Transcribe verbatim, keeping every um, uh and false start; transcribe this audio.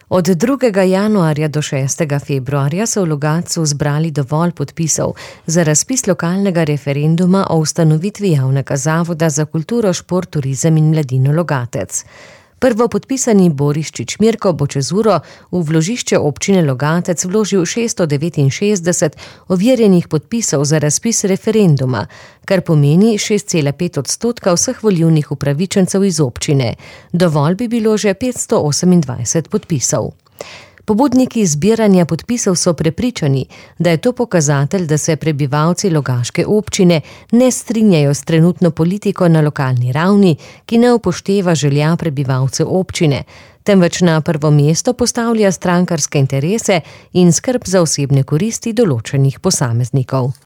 Od drugega januarja do šestega februarja so v Logatcu zbrali dovolj podpisov za razpis lokalnega referenduma o ustanovitvi javnega zavoda za kulturo, šport, turizem in mladino Logatec. Prvopodpisani Boris Čičmirko bo čez uro v vložišče občine Logatec vložil šeststo devetinšestdeset overjenih podpisov za razpis referenduma, kar pomeni šest cela pet odstotka vseh volilnih upravičencev iz občine. Dovolj bi bilo že petsto osemindvajset podpisov. Pobudniki zbiranja podpisov so prepričani, da je to pokazatelj, da se prebivalci Logaške občine ne strinjajo s trenutno politiko na lokalni ravni, ki ne upošteva želja prebivalcev občine, temveč na prvo mesto postavlja strankarske interese in skrb za osebne koristi določenih posameznikov.